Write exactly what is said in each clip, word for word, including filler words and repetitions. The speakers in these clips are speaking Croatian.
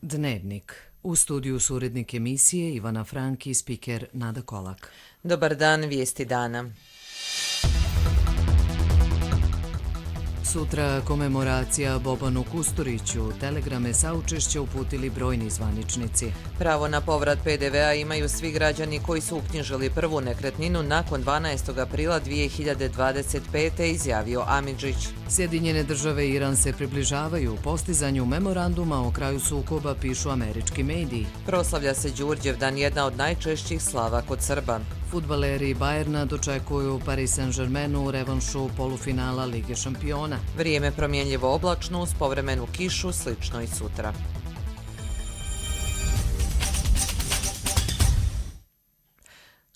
Dnevnik. U studiju su urednik emisije Ivana Frank i spiker Nada Kolak. Dobar dan, vijesti dana. Sutra komemoracija Bobanu Kusturiću. Telegrame saučešća uputili brojni zvaničnici. Pravo na povrat pe de vea imaju svi građani koji su uknjižili prvu nekretninu nakon dvanaestog aprila dvije hiljade dvadeset pete. izjavio Amidžić. Sjedinjene države i Iran se približavaju postizanju memoranduma o kraju sukoba, pišu američki mediji. Proslavlja se Đurđevdan, jedna od najčešćih slava kod Srba. Fudbaleri Bajerna dočekuju Paris Saint-Germainu u revanšu polufinala Lige šampiona. Vrijeme promjenljivo oblačno uz povremenu kišu, slično i sutra.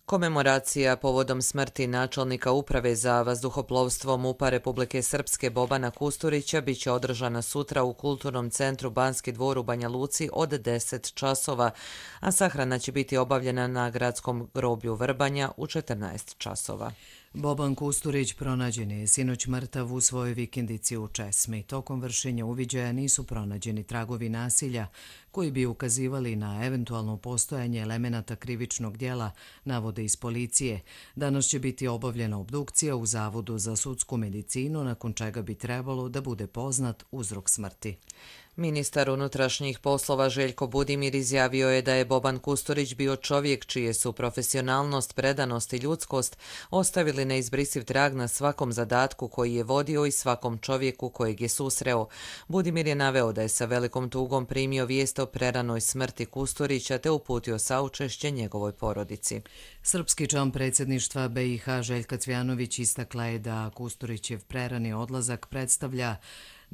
Komemoracija povodom smrti načelnika Uprave za vazduhoplovstvo MUP-a Republike Srpske Bobana Kusturića biće održana sutra u Kulturnom centru Banski dvor u Banja Luci od deset časova, a sahrana će biti obavljena na gradskom groblju Vrbanja u četrnaest časova. Boban Kusturić pronađen je sinoć mrtav u svojoj vikendici u Česmi. Tokom vršenja uviđaja nisu pronađeni tragovi nasilja koji bi ukazivali na eventualno postojanje elemenata krivičnog djela, navode iz policije. Danas će biti obavljena obdukcija u Zavodu za sudsku medicinu, nakon čega bi trebalo da bude poznat uzrok smrti. Ministar unutrašnjih poslova Željko Budimir izjavio je da je Boban Kusturić bio čovjek čije su profesionalnost, predanost i ljudskost ostavili neizbrisiv trag na svakom zadatku koji je vodio i svakom čovjeku kojeg je susreo. Budimir je naveo da je sa velikom tugom primio vijest o preranoj smrti Kusturića te uputio saučešće njegovoj porodici. Srpski član predsjedništva be i ha Željka Cvjanović istakla je da Kusturićev prerani odlazak predstavlja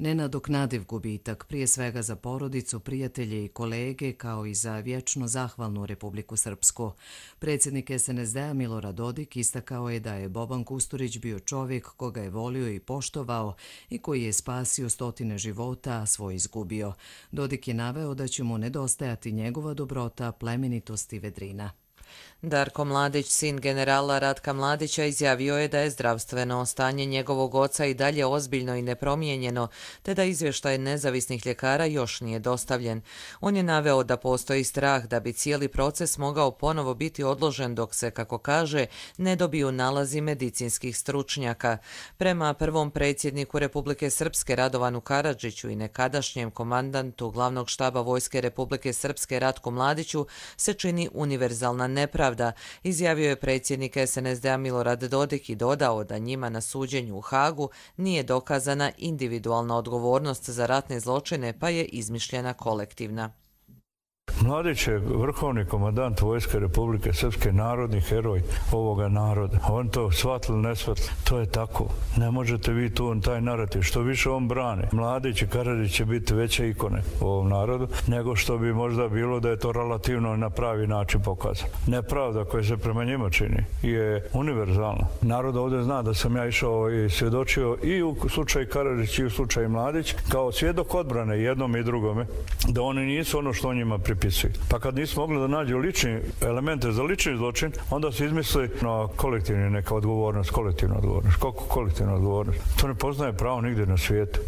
nenadoknadiv gubitak, prije svega za porodicu, prijatelje i kolege, kao i za vječno zahvalnu Republiku Srpsku. Predsjednik es en es de a Milorad Dodik istakao je da je Boban Kusturić bio čovjek koga je volio i poštovao i koji je spasio stotine života, a svoj izgubio. Dodik je naveo da će mu nedostajati njegova dobrota, plemenitost i vedrina. Darko Mladić, sin generala Ratka Mladića, izjavio je da je zdravstveno stanje njegovog oca i dalje ozbiljno i nepromijenjeno, te da izvještaj nezavisnih ljekara još nije dostavljen. On je naveo da postoji strah da bi cijeli proces mogao ponovo biti odložen dok se, kako kaže, ne dobiju nalazi medicinskih stručnjaka. Prema prvom predsjedniku Republike Srpske Radovanu Karadžiću i nekadašnjem komandantu glavnog štaba Vojske Republike Srpske Ratku Mladiću se čini univerzalna nepravda, izjavio je predsjednik es en es de a Milorad Dodik i dodao da njima na suđenju u Hagu nije dokazana individualna odgovornost za ratne zločine, pa je izmišljena kolektivna. Mladić je vrhovni komandant Vojske Republike Srpske, narodni heroj ovoga naroda. On to shvatili, ne shvatili. To je tako. Ne možete vi tu taj narativ. Što više on brane. Mladić i Karadžić će biti veće ikone u ovom narodu, nego što bi možda bilo da je to relativno na pravi način pokazano. Nepravda koja se prema njima čini je univerzalna. Narod ovdje zna da sam ja išao i svjedočio i u slučaju Karadžić i u slučaju Mladić kao svjedok odbrane jednom i drugome, da oni nisu ono što on njima pripisuje. Pa kad nisu mogli da nađu lični elemente za lični zločin, onda su izmislili na kolektivni neka odgovornost, kolektivna odgovornost. Kako kolektivna odgovornost? To ne poznaje pravo nigdje na svijetu.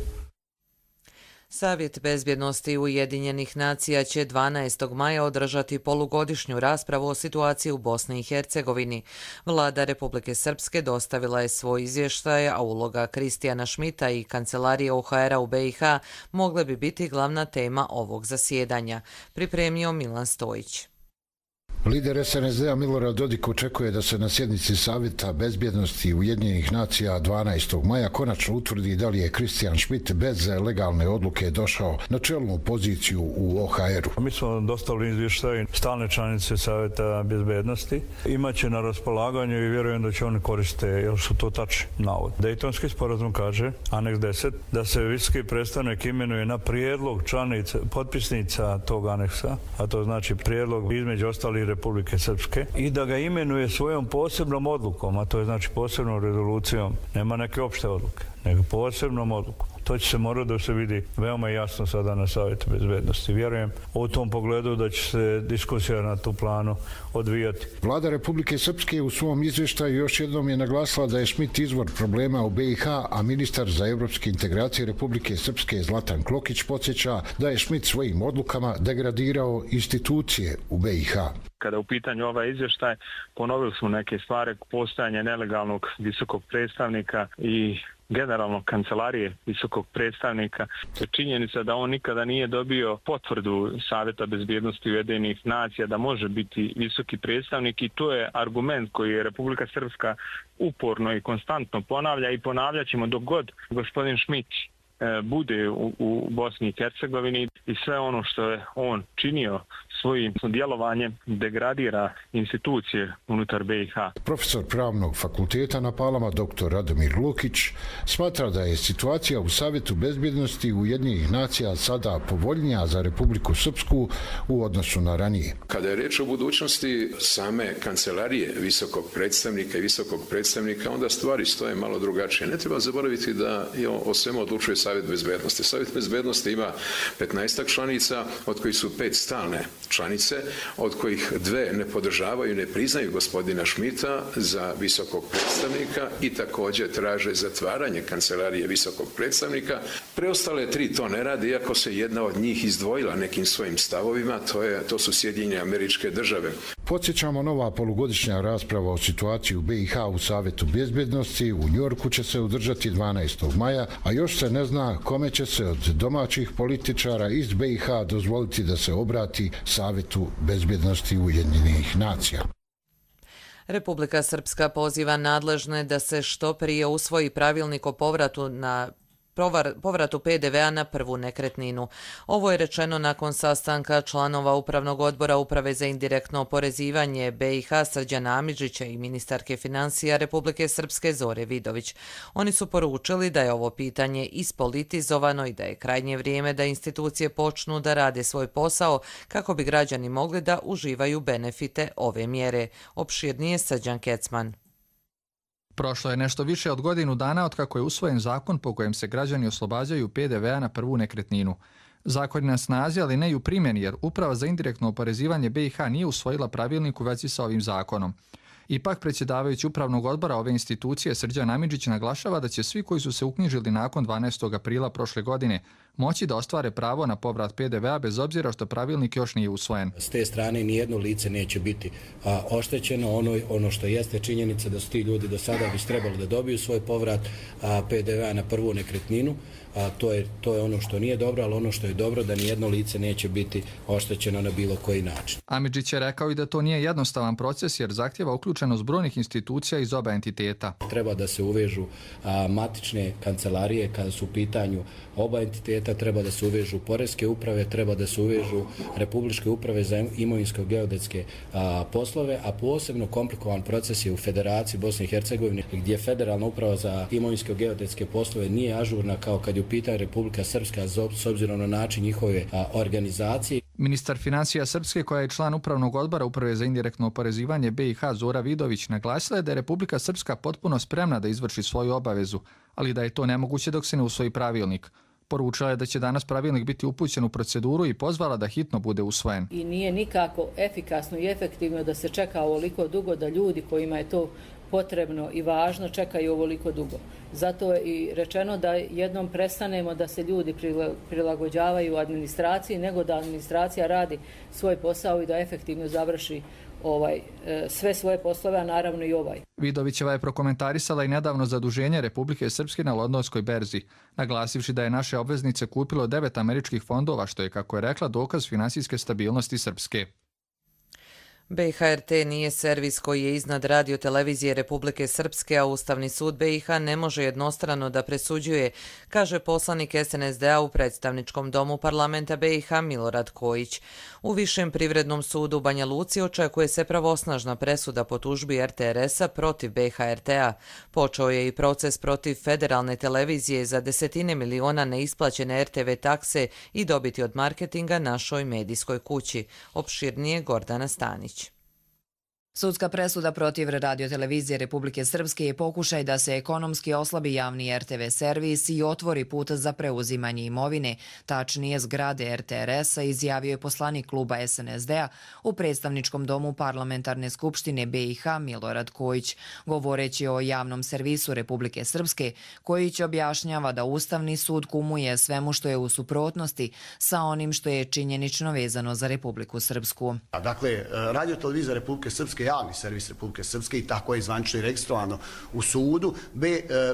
Savjet bezbjednosti Ujedinjenih nacija će dvanaestog maja održati polugodišnju raspravu o situaciji u Bosni i Hercegovini. Vlada Republike Srpske dostavila je svoj izvještaj, a uloga Kristijana Šmita i kancelarije o ha era u be i ha mogle bi biti glavna tema ovog zasjedanja, pripremio Milan Stojić. Lider es en es de a Milorad Dodik očekuje da se na sjednici Savjeta bezbjednosti Ujedinjenih nacija dvanaestog maja konačno utvrdi da li je Kristijan Šmit bez legalne odluke došao na čelnu poziciju u o ha eru. Mi smo dostavili izvještaj stalne članice Savjeta bezbjednosti. Imaće na raspolaganju i vjerujem da će oni koriste, jer su to tačni navod. Dejtonski sporazum kaže, aneks deset, da se visoki predstavnik imenuje na prijedlog članica, potpisnica tog aneksa, a to znači prijedlog između ostalih Republike Srpske, i da ga imenuje svojom posebnom odlukom, a to je znači posebnom rezolucijom, nema neke opšte odluke, nego posebnom odlukom. To će se morati da se vidi veoma jasno sada na Savjetu bezbednosti. Vjerujem u tom pogledu da će se diskusija na tu planu odvijati. Vlada Republike Srpske u svom izvještaju još jednom je naglasila da je Schmidt izvor problema u B i H, a ministar za evropske integracije Republike Srpske Zlatan Klokić podsjeća da je Schmidt svojim odlukama degradirao institucije u B i H. Kada u pitanju ovaj izvještaj, ponovili smo neke stvari, postojanje nelegalnog visokog predstavnika i generalno kancelarije visokog predstavnika. Činjenica da on nikada nije dobio potvrdu Savjeta bezbjednosti Ujedinjenih nacija da može biti visoki predstavnik i to je argument koji je Republika Srpska uporno i konstantno ponavlja i ponavljat ćemo dok god gospodin Schmidt bude u, u Bosni i Hercegovini i sve ono što je on činio svojim djelovanjem degradira institucije unutar B i H. Profesor Pravnog fakulteta na Palama doktor Radomir Lukić smatra da je situacija u Savjetu bezbjednosti Ujedinjenih nacija sada povoljnija za Republiku Srpsku u odnosu na ranije. Kada je reč o budućnosti same kancelarije visokog predstavnika i visokog predstavnika, onda stvari stoje malo drugačije. Ne treba zaboraviti da je o svemu odlučuje Savjet bezbednosti. Savjet bezbednosti ima petnaestak članica, od kojih su pet stalne članice, od kojih dve ne podržavaju, ne priznaju gospodina Schmidta za visokog predstavnika i također traže zatvaranje kancelarije visokog predstavnika. Preostale tri to ne rade, iako se jedna od njih izdvojila nekim svojim stavovima, to, je, to su Sjedinjene Američke Države. Podsjećamo, nova polugodišnja rasprava o situaciji u B i H u Savjetu bezbjednosti u Njujorku će se održati dvanaestog maja, a još se ne zna kome će se od domaćih političara iz B i H dozvoliti da se obrati Savjetu bezbjednosti Ujedinjenih nacija. Republika Srpska poziva nadležne da se što prije usvoji pravilnik o povratu na povratu P D V a na prvu nekretninu. Ovo je rečeno nakon sastanka članova Upravnog odbora Uprave za indirektno oporezivanje B i H Srđana Amidžića i ministarke financija Republike Srpske Zore Vidović. Oni su poručili da je ovo pitanje ispolitizovano i da je krajnje vrijeme da institucije počnu da rade svoj posao kako bi građani mogli da uživaju benefite ove mjere. Opširnije Srđan Kecman. Prošlo je nešto više od godinu dana od kako je usvojen zakon po kojem se građani oslobađaju P D V a na prvu nekretninu. Zakon je na snazi, ali ne i u primjeni, jer Uprava za indirektno oporezivanje B i H nije usvojila pravilnik u vezi sa ovim zakonom. Ipak, predsjedavajući Upravnog odbora ove institucije Srđan Amidžić naglašava da će svi koji su se uknjižili nakon dvanaestog aprila prošle godine moći da ostvare pravo na povrat P D V a bez obzira što pravilnik još nije usvojen. S te strane nijedno lice neće biti a, oštećeno. Ono, ono što jeste činjenica da su ti ljudi do sada bi trebali da dobiju svoj povrat a, P D V a na prvu nekretninu. A, to, je, to je ono što nije dobro, ali ono što je dobro da nijedno lice neće biti oštećeno na bilo koji način. Amidžić je rekao i da to nije jednostavan proces jer zahtjeva uključenost brojnih institucija iz oba entiteta. Treba da se uvežu a, matične kancelarije kada su u pitanju oba entiteta, treba da se uvežu poreske uprave, treba da se uvežu republičke uprave za imovinsko-geodetske poslove, a posebno komplikovan proces je u Federaciji Bosne i Hercegovine, gdje Federalna uprava za imovinsko-geodetske poslove nije ažurna kao kad je u pitanju Republika Srpska s obzirom na način njihove a, organizacije. Ministar financija Srpske, koja je član Upravnog odbora Uprave za indirektno oporezivanje B i H Zora Vidović, naglasila je da je Republika Srpska potpuno spremna da izvrši svoju obavezu, ali da je to nemoguće dok se ne usvoji pravilnik. Poručila je da će danas pravilnik biti upućen u proceduru i pozvala da hitno bude usvojen. I nije nikako efikasno i efektivno da se čeka ovoliko dugo, da ljudi kojima je to potrebno i važno čekaju ovoliko dugo. Zato je i rečeno da jednom prestanemo da se ljudi prilagođavaju administraciji, nego da administracija radi svoj posao i da efektivno završi ovaj, sve svoje poslove, a naravno i ovaj. Vidovićeva je prokomentarisala i nedavno zaduženje Republike Srpske na Londonskoj berzi, naglasivši da je naše obveznice kupilo devet američkih fondova, što je, kako je rekla, dokaz finansijske stabilnosti Srpske. B i H R T nije servis koji je iznad radio-televizije Republike Srpske, a Ustavni sud B i H ne može jednostrano da presuđuje, kaže poslanik S N S D a u predstavničkom domu parlamenta B i H Milorad Kojić. U Višem privrednom sudu u Banja Luci očekuje se pravosnažna presuda po tužbi R T R S a protiv B i H R T a. Počeo je i proces protiv federalne televizije za desetine miliona neisplaćene R T V takse i dobiti od marketinga našoj medijskoj kući. Opširnije Gordana Stanić. Sudska presuda protiv radiotelevizije Republike Srpske je pokušaj da se ekonomski oslabi javni er te ve servis i otvori put za preuzimanje imovine, tačnije zgrade er te er esa, izjavio je poslanik kluba es en es de-a u predstavničkom domu Parlamentarne skupštine be i ha Milorad Kojić, govoreći o javnom servisu Republike Srpske. Kojić objašnjava da Ustavni sud kumuje svemu što je u suprotnosti sa onim što je činjenično vezano za Republiku Srpsku. Dakle, radiotelevizija Republike Srpske, javni servis Republike Srpske, i tako je zvanično i registrovano u sudu.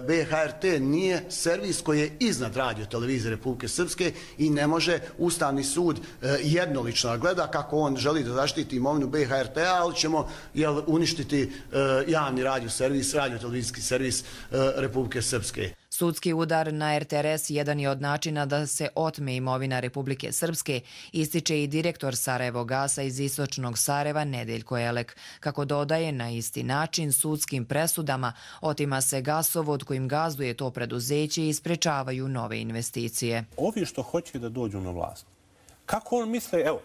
be ha er te nije servis koji je iznad radiotelevizije Republike Srpske i ne može Ustavni sud jednolično gleda kako on želi da zaštiti imovinu be ha er te-a, ali ćemo jel, uništiti javni radio servis, radiotelevizijski servis Republike Srpske. Sudski udar na er te er es jedan je od načina da se otme imovina Republike Srpske, ističe i direktor Sarajevo gasa iz istočnog Sarajeva Nedeljko Elek. Kako dodaje, na isti način sudskim presudama otima se gasovod kojim gazduje to preduzeće i sprečavaju nove investicije. Ovi što hoće da dođu na vlast, kako on misle, evo,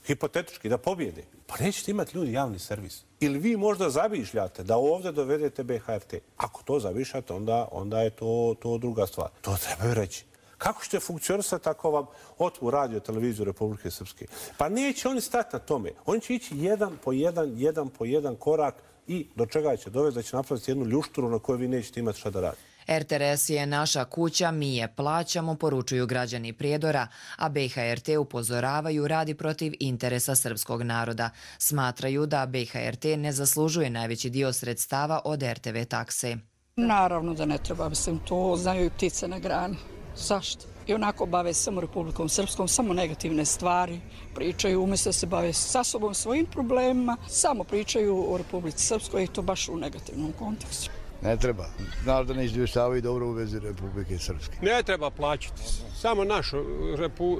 hipotetički da pobjede, pa nećete imati ljudi javni servis. Ili vi možda zavišljate da ovdje dovedete be ha er te. Ako to zavišljate, onda, onda je to, to druga stvar. To trebaju reći. Kako ćete funkcionisati ako vam otmu radio televiziju Republike Srpske? Pa neće oni stati na tome. Oni će ići jedan po jedan, jedan po jedan korak i do čega će dovesti da će napraviti jednu ljušturu na kojoj vi nećete imati šta da radite. er te er es je naša kuća, mi je plaćamo, poručuju građani Prijedora, a be ha er te upozoravaju radi protiv interesa srpskog naroda. Smatraju da be ha er te ne zaslužuje najveći dio sredstava od er te ve takse. Naravno da ne treba, mislim, to znaju i ptice na grani. Zašto? I onako bave samo Republikom Srpskom, samo negativne stvari pričaju, umjesto da se bave sa sobom svojim problemima, samo pričaju o Republici Srpskoj i to baš u negativnom kontekstu. Ne treba. Znaš da ne izvještavaju dobro u vezi Republike Srpske. Ne treba plaćati. Samo našu repu,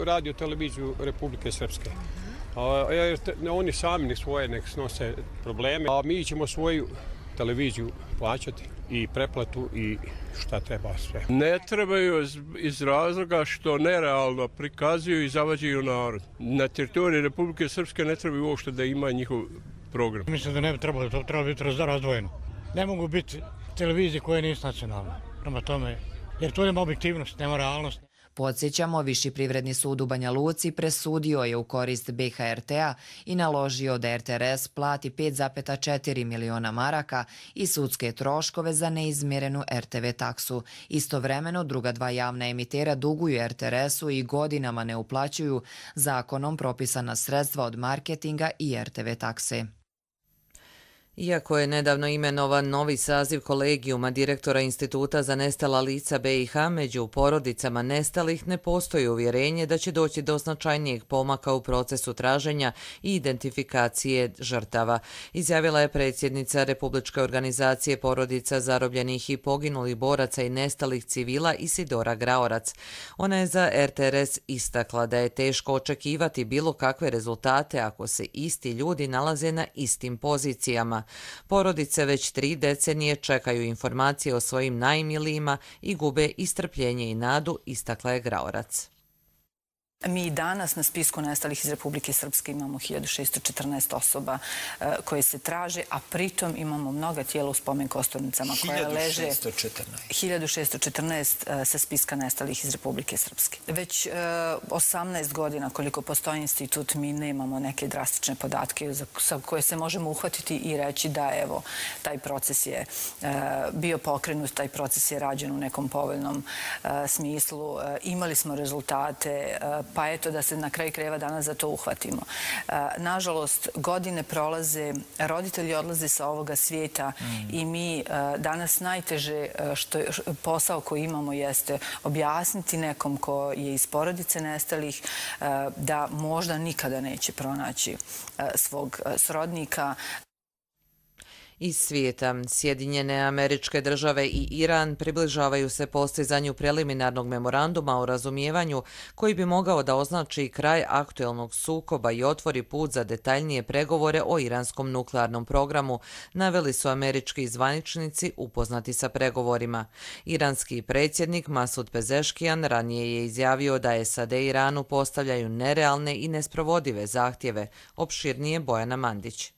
radio televiziju Republike Srpske. A, jer te, oni sami ne svoje nek snose probleme, a mi ćemo svoju televiziju plaćati i preplatu i šta treba sve. Ne trebaju iz razloga što nerealno prikazuju i zavađaju narod. Na teritoriji Republike Srpske ne trebaju uopšte da ima njihov program. Mislim da ne bi trebalo, to treba biti razdvojeno. Ne mogu biti televizije koje nisu nacionalne, prema tome, jer to nema objektivnost, nema realnost. Podsjećamo, Viši privredni sud u Banja Luci presudio je u korist be ha er te-a i naložio da er te er es plati pet zarez četiri miliona maraka i sudske troškove za neizmjerenu er te ve taksu. Istovremeno, druga dva javna emitera duguju er te er esu i godinama ne uplaćuju zakonom propisana sredstva od marketinga i er te ve takse. Iako je nedavno imenovan novi saziv kolegijuma direktora Instituta za nestala lica be i ha, među porodicama nestalih ne postoji uvjerenje da će doći do značajnijeg pomaka u procesu traženja i identifikacije žrtava, izjavila je predsjednica Republičke organizacije porodica zarobljenih i poginulih boraca i nestalih civila Isidora Graorac. Ona je za er te er es istakla da je teško očekivati bilo kakve rezultate ako se isti ljudi nalaze na istim pozicijama. Porodice već tri decenije čekaju informacije o svojim najmilijima i gube i strpljenje i nadu, istakla je Graorac. Mi danas na spisku nestalih iz Republike Srpske imamo hiljadu šesto četrnaest osoba koje se traže, a pritom imamo mnoga tijela u spomen kosturnicama koja leže hiljadu šesto četrnaest sa spiska nestalih iz Republike Srpske. Već osamnaest godina koliko postoji institut mi nemamo neke drastične podatke za koje se možemo uhvatiti i reći da evo taj proces je bio pokrenut, taj proces je rađen u nekom povoljnom smislu. Imali smo rezultate, pa eto da se na kraju krajeva danas za to uhvatimo. Nažalost, godine prolaze, roditelji odlaze sa ovoga svijeta i mi danas najteže što je, posao koji imamo jeste objasniti nekom ko je iz porodice nestalih da možda nikada neće pronaći svog srodnika. Iz svijeta, Sjedinjene Američke Države i Iran približavaju se postizanju preliminarnog memoranduma o razumijevanju koji bi mogao da označi kraj aktuelnog sukoba i otvori put za detaljnije pregovore o iranskom nuklearnom programu, naveli su američki zvaničnici upoznati sa pregovorima. Iranski predsjednik Masud Pezeškijan ranije je izjavio da es a de Iranu postavljaju nerealne i nesprovodive zahtjeve, opširnije Bojana Mandić.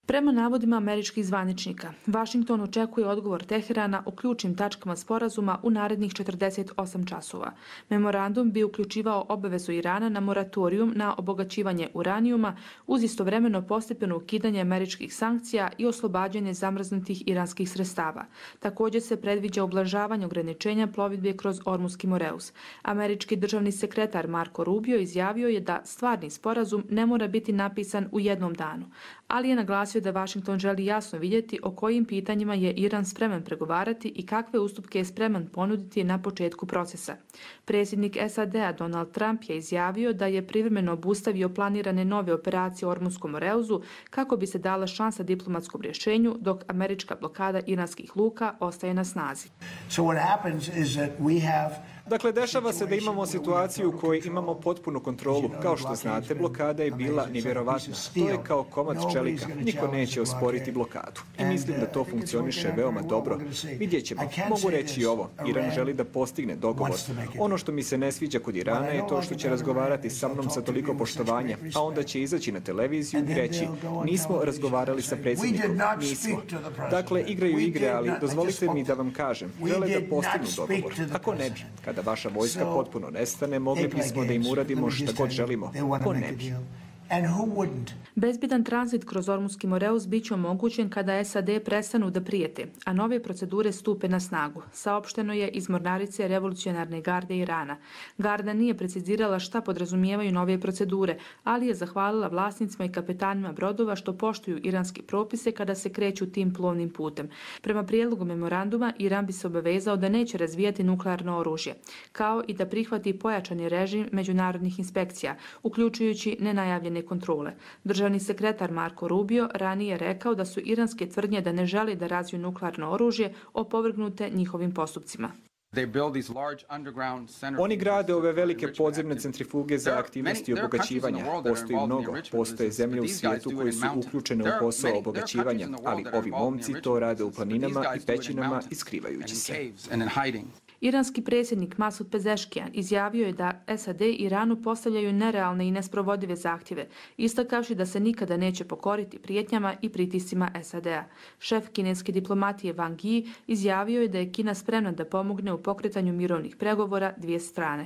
Prema navodima američkih zvaničnika, Vašington očekuje odgovor Teherana o ključnim tačkama sporazuma u narednih četrdeset osam časova. Memorandum bi uključivao obavezu Irana na moratorijum na obogaćivanje uranijuma uz istovremeno postepeno ukidanje američkih sankcija i oslobađanje zamrznutih iranskih sredstava. Također se predviđa ublažavanje ograničenja plovidbe kroz Ormuski Moreus. Američki državni sekretar Marco Rubio izjavio je da stvarni sporazum ne mora biti napisan u jednom danu, ali je naglasio da Vašington želi jasno vidjeti o kojim pitanjima je Iran spreman pregovarati i kakve ustupke je spreman ponuditi na početku procesa. Predsjednik S A D-a Donald Trump je izjavio da je privremeno obustavio planirane nove operacije u Ormuskom Moreuzu kako bi se dala šansa diplomatskom rješenju, dok američka blokada iranskih luka ostaje na snazi. So what happens is that we have Dakle, dešava se da imamo situaciju u kojoj imamo potpunu kontrolu. Kao što znate, blokada je bila nevjerovatna. To je kao komad čelika. Niko neće osporiti blokadu. I mislim da to funkcioniše veoma dobro. Vidjet ćemo. Mogu reći i ovo. Iran želi da postigne dogovor. Ono što mi se ne sviđa kod Irana je to što će razgovarati sa mnom sa toliko poštovanja, a onda će izaći na televiziju i reći nismo razgovarali sa predsjednikom. Nismo. Dakle, igraju igre, ali dozvolite mi da vam kažem. Žele da postignu dogovor. Ako ne bi, kada vaša vojska potpuno nestane, mogli bismo da im uradimo šta god želimo. Ko ne bi? Bezbjedan tranzit kroz Ormuski Moreus bit će omogućen kada S A D prestanu da prijete, a nove procedure stupe na snagu, saopšteno je iz Mornarice revolucionarne garde Irana. Garda nije precizirala šta podrazumijevaju nove procedure, ali je zahvalila vlasnicima i kapetanima brodova što poštuju iranske propise kada se kreću tim plovnim putem. Prema prijedlogu memoranduma, Iran bi se obavezao da neće razvijati nuklearno oružje, kao i da prihvati pojačani režim međunarodnih inspekcija, uključujući nenajavljene kontrole. Državni sekretar Marco Rubio ranije rekao da su iranske tvrdnje da ne žele da razviju nuklearno oružje opovrgnute njihovim postupcima. Oni grade ove velike podzemne centrifuge za aktivnosti obogaćivanja. Postoji mnogo. Postoje zemlje u svijetu koje su uključene u posao obogaćivanja, ali ovi momci to rade u planinama i pećinama i skrivajući se. Iranski predsjednik Masud Pezeškijan izjavio je da S A D Iranu postavljaju nerealne i nesprovodive zahtjeve, istakavši da se nikada neće pokoriti prijetnjama i pritiscima S A D-a. Šef kineske diplomatije Wang Yi izjavio je da je Kina spremna da pomogne u pokretanju mirovnih pregovora dvije strane.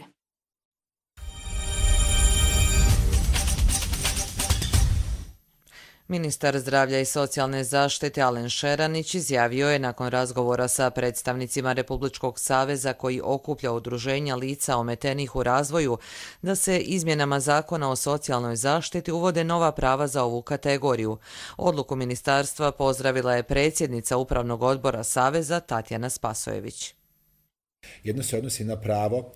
Ministar zdravlja i socijalne zaštite Alen Šeranić izjavio je nakon razgovora sa predstavnicima Republičkog saveza koji okuplja udruženja lica ometenih u razvoju da se izmjenama zakona o socijalnoj zaštiti uvode nova prava za ovu kategoriju. Odluku ministarstva pozdravila je predsjednica Upravnog odbora Saveza Tatjana Spasojević. Jedno se odnosi na pravo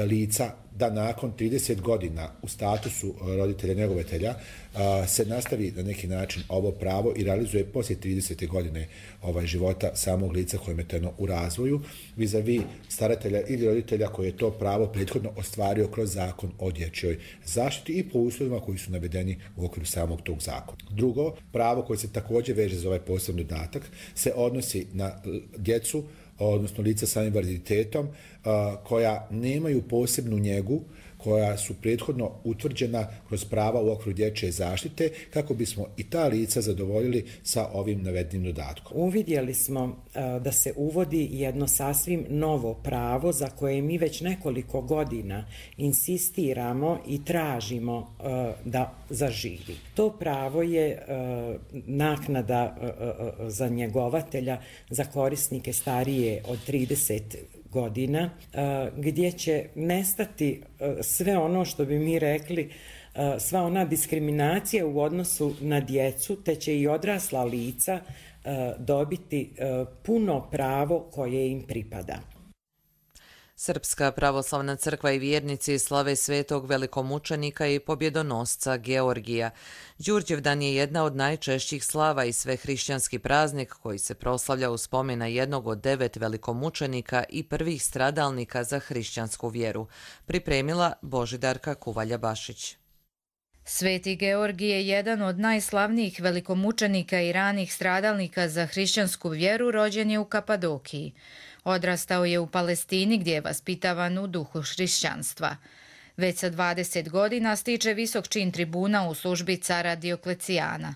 lica da nakon trideset godina u statusu roditelja njegovatelja se nastavi na neki način ovo pravo i realizuje poslije tridesete godine ovaj života samog lica koje je ometeno u razvoju vis-a-vis staratelja ili roditelja koji je to pravo prethodno ostvario kroz zakon o dječjoj zaštiti i po uslovima koji su navedeni u okviru samog tog zakona. Drugo, pravo koje se također veže za ovaj posebni dodatak se odnosi na djecu, odnosno lica sa invaliditetom, koja nemaju posebnu njegu, koja su prethodno utvrđena kroz prava u okviru dječje zaštite, kako bismo i ta lica zadovoljili sa ovim navedenim dodatkom. Uvidjeli smo da se uvodi jedno sasvim novo pravo za koje mi već nekoliko godina insistiramo i tražimo da zaživi. To pravo je naknada za njegovatelja za korisnike starije od trideset godina, gdje će nestati sve ono što bi mi rekli, sva ona diskriminacija u odnosu na djecu, te će i odrasla lica dobiti puno pravo koje im pripada. Srpska pravoslavna crkva i vjernici slave svetog velikomučenika i pobjedonosca Georgija. Đurđevdan je jedna od najčešćih slava i svehrišćanski praznik koji se proslavlja u spomen na jednog od devet velikomučenika i prvih stradalnika za hrišćansku vjeru. Pripremila Božidarka Kuvalja-Bašić. Sveti Georgij je jedan od najslavnijih velikomučenika i ranih stradalnika za hrišćansku vjeru, rođen je u Kapadokiji. Odrastao je u Palestini gdje je vaspitavan u duhu hrišćanstva. Već sa dvadeset godina stiče visok čin tribuna u službi cara Dioklecijana.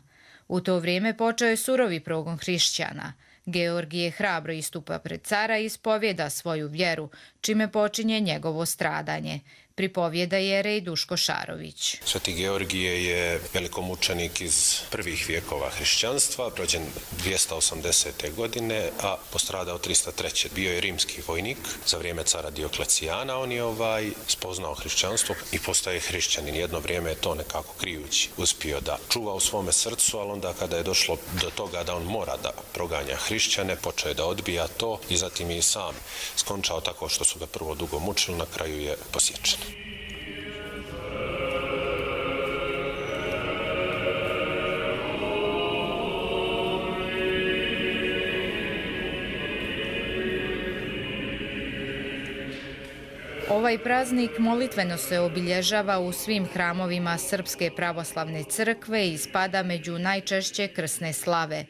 U to vrijeme počeo je surovi progon hrišćana. Georgije hrabro istupa pred cara i ispovjeda svoju vjeru, čime počinje njegovo stradanje. Pripovjeda jerej Duško Šarović. Sveti Georgije je velikomučenik iz prvih vijekova hrišćanstva, rođen dvjesto osamdesete. godine, a postradao tristo treće. Bio je rimski vojnik za vrijeme cara Dioklecijana. On je ovaj spoznao hrišćanstvo i postaje hrišćanin. Jedno vrijeme je to nekako krijući uspio da čuva u svome srcu, ali onda kada je došlo do toga da on mora da proganja hrišćane, počeo je da odbija to i zatim je i sam skončao tako što su ga prvo dugo mučili, na kraju je posječen. Ovaj praznik molitveno se obilježava u svim hramovima Srpske pravoslavne crkve i spada među najčešće krsne slave.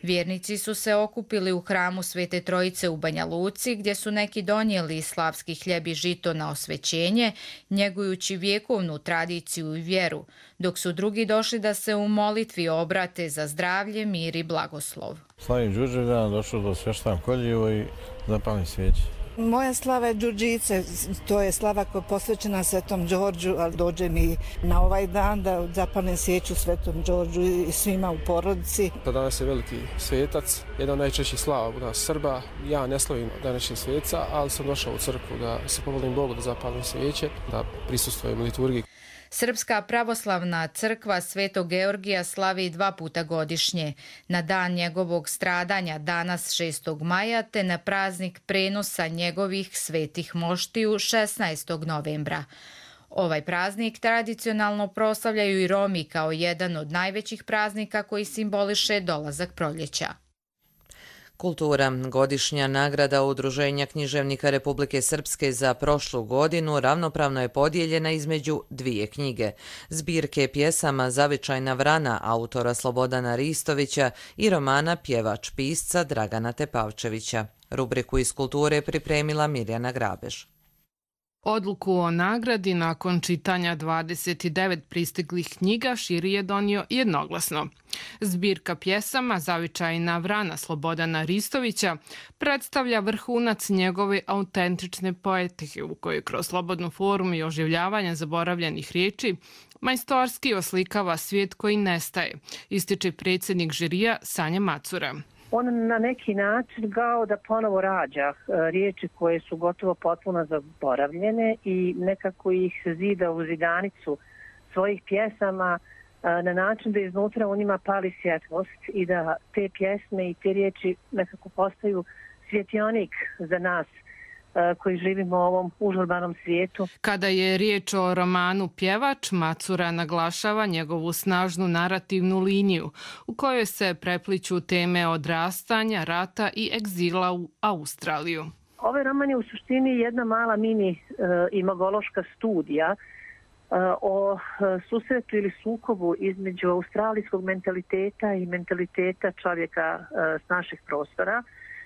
Vjernici su se okupili u hramu Svete Trojice u Banja Luci, gdje su neki donijeli slavski hljeb i žito na osvećenje, njegujući vjekovnu tradiciju i vjeru, dok su drugi došli da se u molitvi obrate za zdravlje, mir i blagoslov. Slavim Đurđevdan, došao do Sveštan Koljevo i zapalim svijeće. Moja slava je Đurđice, to je slava koja je posvećena Svetom Đorđu, ali dođe mi na ovaj dan da zapalim svijeću Svetom Đorđu i svima u porodici. Danas je veliki svetac, jedan od najčešćih slava u nas Srba. Ja ne slavim današnjeg sveca, ali sam došao u crkvu da se pomolim Bogu da zapalim svijeće, da prisustvujem liturgiji. Srpska pravoslavna crkva Svetog Georgija slavi dva puta godišnje, na dan njegovog stradanja danas šestog maja te na praznik prenosa njegovih svetih moštiju šesnaestog novembra. Ovaj praznik tradicionalno proslavljaju i Romi kao jedan od najvećih praznika koji simboliše dolazak proljeća. Kultura. Godišnja nagrada Udruženja književnika Republike Srpske za prošlu godinu ravnopravno je podijeljena između dvije knjige. Zbirke pjesama Zavičajna vrana autora Slobodana Ristovića i romana Pjevač pisca Dragana Tepavčevića. Rubriku iz kulture pripremila Mirjana Grabež. Odluku o nagradi nakon čitanja dvadeset devet pristiglih knjiga žiri je donio jednoglasno. Zbirka pjesama Zavičajna vrana Slobodana Ristovića predstavlja vrhunac njegove autentične poetike u kojoj kroz slobodnu formu i oživljavanje zaboravljenih riječi majstorski oslikava svijet koji nestaje, ističe predsjednik žirija Sanja Macura. On na neki način kao da ponovo rađa riječi koje su gotovo potpuno zaboravljene i nekako ih zida u zidanicu svojih pjesama na način da iznutra u njima pali svjetlost i da te pjesme i te riječi nekako postaju svjetionik za nas koji živimo u ovom užurbanom svijetu. Kada je riječ o romanu Pjevač, Macura naglašava njegovu snažnu narativnu liniju u kojoj se prepliću teme odrastanja, rata i egzila u Australiju. Ovaj roman je u suštini jedna mala mini uh, imagološka studija uh, o uh, susretu ili sukobu između australijskog mentaliteta i mentaliteta čovjeka uh, s naših prostora,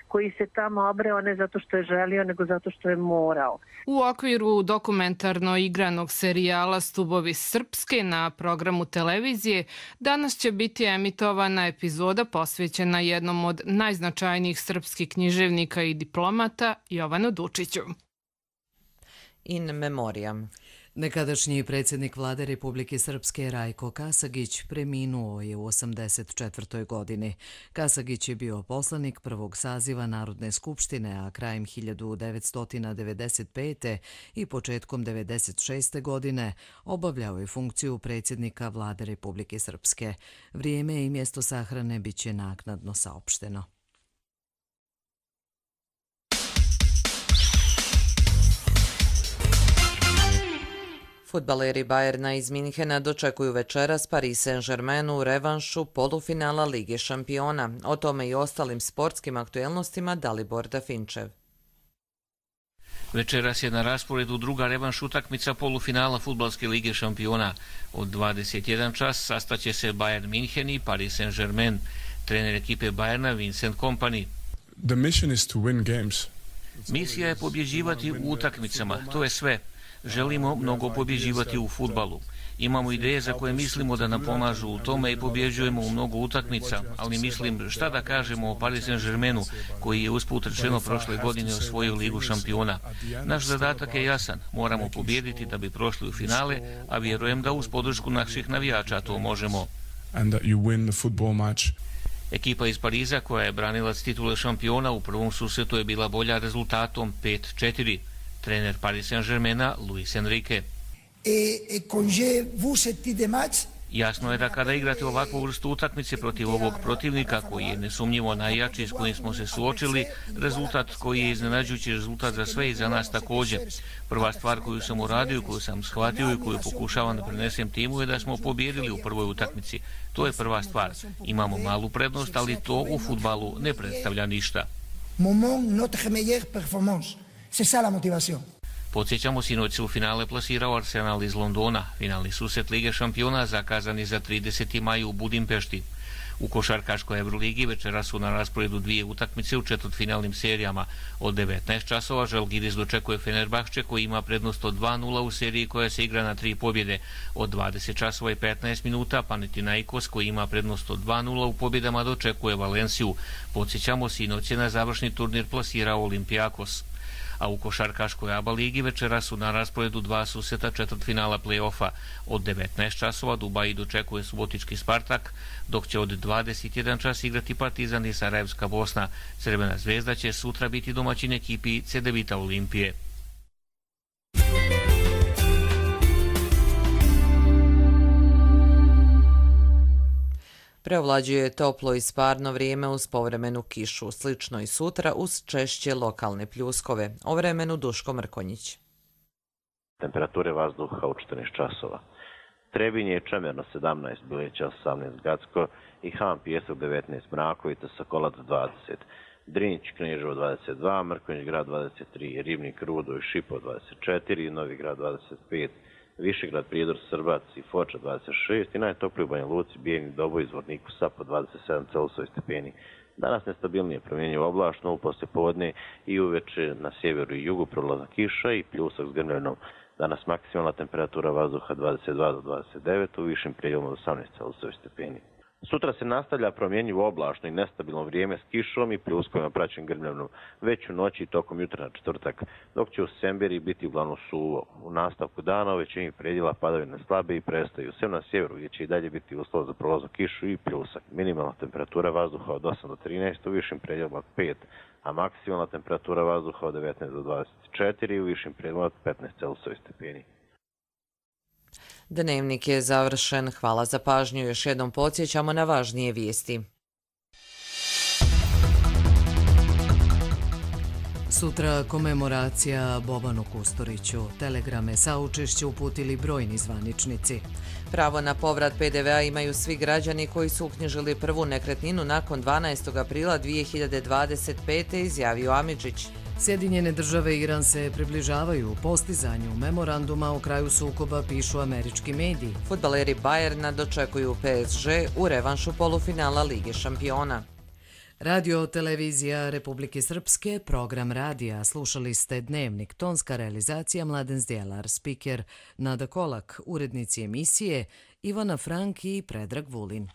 koji se tamo obreo ne zato što je želio, nego zato što je morao. U okviru dokumentarno igranog serijala Stubovi Srpske na programu televizije danas će biti emitovana epizoda posvećena jednom od najznačajnijih srpskih književnika i diplomata, Jovanu Dučiću. In memoriam. Nekadašnji predsjednik vlade Republike Srpske Rajko Kasagić preminuo je u osamdeset četvrtoj godini. Kasagić je bio poslanik prvog saziva Narodne skupštine, a krajem hiljadu devetsto devedeset pete. i početkom devedeset šeste. godine obavljao je funkciju predsjednika vlade Republike Srpske. Vrijeme i mjesto sahrane bit će naknadno saopšteno. Fudbaleri Bayerna iz Minhena dočekuju večeras Paris Saint-Germain u revanšu polufinala Lige šampiona. O tome i ostalim sportskim aktuelnostima Dalibor Dafinčev. Večeras je na rasporedu druga revanš utakmica polufinala Fudbalske lige šampiona. Od dvadeset jedan čas sastaće se Bayern Minhen i Paris Saint-Germain. Trener ekipe Bayerna Vincent Kompany. The mission is to win games. Misija je pobjeđivati u utakmicama, to je sve. Želimo mnogo pobjeđivati u fudbalu. Imamo ideje za koje mislimo da nam pomažu u tome i pobjeđujemo u mnogo utakmica, ali mislim šta da kažemo o Paris Saint-Germainu koji je usput rečeno prošle godine osvojio Ligu šampiona. Naš zadatak je jasan, moramo pobjediti da bi prošli u finale, a vjerujem da uz podršku naših navijača to možemo. Ekipa iz Pariza koja je branilac titule šampiona u prvom susretu je bila bolja rezultatom pet četiri. Trener Paris Saint-Germaina Luis Enrique. Jasno je da kada igrate ovakvu vrstu utakmice protiv ovog protivnika koji je nesumnjivo najjači s kojim smo se suočili, rezultat koji je iznenađujući rezultat za sve i za nas također. Prva stvar koju sam uradio, koju sam shvatio i koju pokušavam da prenesem timu je da smo pobjedili u prvoj utakmici. To je prva stvar. Imamo malu prednost, ali to u fudbalu ne predstavlja ništa. Podsjećamo, sinoć se u finale plasirao Arsenal iz Londona. Finalni susret Lige šampiona zakazan je za trideseti maj u Budimpešti. U košarkaškoj Euroligi večera su na rasporedu dvije utakmice u četvrtfinalnim serijama. Od devetnaest časova Žalgiris dočekuje Fenerbahče koji ima prednost od dva nula u seriji koja se igra na tri pobjede. Od dvadeset časova i petnaest minuta Panathinaikos koji ima prednost od dva nula u pobjedama dočekuje Valenciju. Podsjećamo, sinoć je na završni turnir plasirao Olympiakos. A u košarkaškoj A B A ligi večera su na rasporedu dva susreta četvrtfinala play-offa. Od devetnaest časova Dubai dočekuje subotički Spartak, dok će od dvadeset jedan čas igrati Partizan i Sarajevska Bosna. Crvena zvezda će sutra biti domaćin ekipi Cedevita Olimpije. Preovlađuje toplo i sparno vrijeme uz povremenu kišu, slično i sutra uz češće lokalne pljuskove. O vremenu Duško Mrkonjić. Temperature vazduha u četrnaest časova. Trebinje je čemerno sedamnaest, Bileća osamnaest, Gacko i Han Pijesak devetnaest, Mrakovica, Sokolac dvadeset, Drinjić, Kneževo dvadeset dva, Mrkonjić grad dvadeset tri, Ribnik, Rudo i Šipo dvadeset četiri, Novi grad dvadeset pet, Višegrad, Prijedor, Srbac i Foča dvadeset šest i najtopliji u Banja Luci, Bijeljni, Doboj, Zvorniku, Sapa dvadeset sedam Celzijusovih stepeni. Danas nestabilnije promjenjivo oblačno, u poslijepodne i uveče na sjeveru i jugu prolazna kiša i pljusak s grmljevinom. Danas maksimalna temperatura vazduha dvadeset dva do dvadeset devet, u višim prijelom od osamnaest Celzijusovih stepeni. Sutra se nastavlja promjenjivo oblačno i nestabilno vrijeme s kišom i pljuskovima praćen grmljavinom, već u noći i tokom jutra na četvrtak, dok će u Semberi biti uglavnom suvo. U nastavku dana u većini predjela padavine slabe i prestaju, sem na sjeveru gdje će i dalje biti uslov za prolaznu kišu i pljusak. Minimalna temperatura vazduha od osam do trinaest, u višim predjelima od pet, a maksimalna temperatura vazduha od devetnaest do dvadeset četiri i u višim predjelima od petnaest Celzijusovih stepeni. Dnevnik je završen. Hvala za pažnju. Još jednom podsjećamo na važnije vijesti. Sutra komemoracija Bobanu Kusturiću. Telegrame saučešće uputili brojni zvaničnici. Pravo na povrat P D V-a imaju svi građani koji su uknjižili prvu nekretninu nakon dvanaestog aprila dvije hiljade dvadeset pete, izjavio Amidžić. Sjedinjene države i Iran se približavaju postizanju memoranduma o kraju sukoba, pišu američki mediji. Fudbaleri Bayerna dočekuju P S G u revanšu polufinala Lige šampiona. Radio televizija Republike Srpske, program radija. Slušali ste Dnevnik, tonska realizacija Mladen Zdjelar, spiker Nada Kolak, urednici emisije Ivana Frank i Predrag Vulin.